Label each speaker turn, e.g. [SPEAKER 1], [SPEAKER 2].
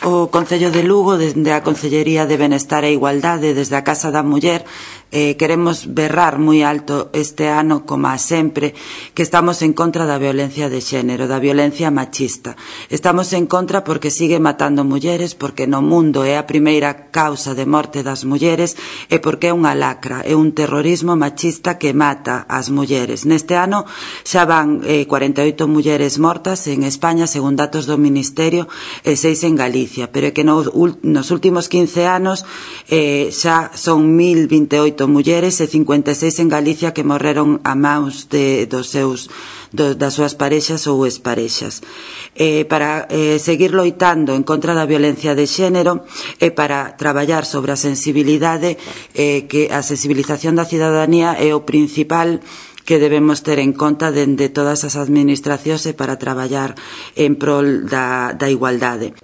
[SPEAKER 1] O Concello de Lugo, dende a Concellería de Benestar e Igualdade, desde a Casa da Muller, queremos berrar moi alto este ano, como a sempre, que estamos en contra da violencia de xénero, da violencia machista. Estamos en contra porque sigue matando mulleres, porque no mundo é a primeira causa de morte das mulleres e porque é unha lacra, é un terrorismo machista que mata as mulleres. Neste ano xa van 48 mulleres mortas en España, según datos do Ministerio, e 6 en Galicia, pero é que nos últimos 15 anos xa son 1028 mulleres e 56 en Galicia que morreron a maus das súas parexas ou exparexas. Para seguir loitando en contra da violencia de xénero e para traballar sobre a sensibilidade, que a sensibilización da cidadanía é o principal que debemos ter en conta dende todas as administracións e para traballar en prol da igualdade.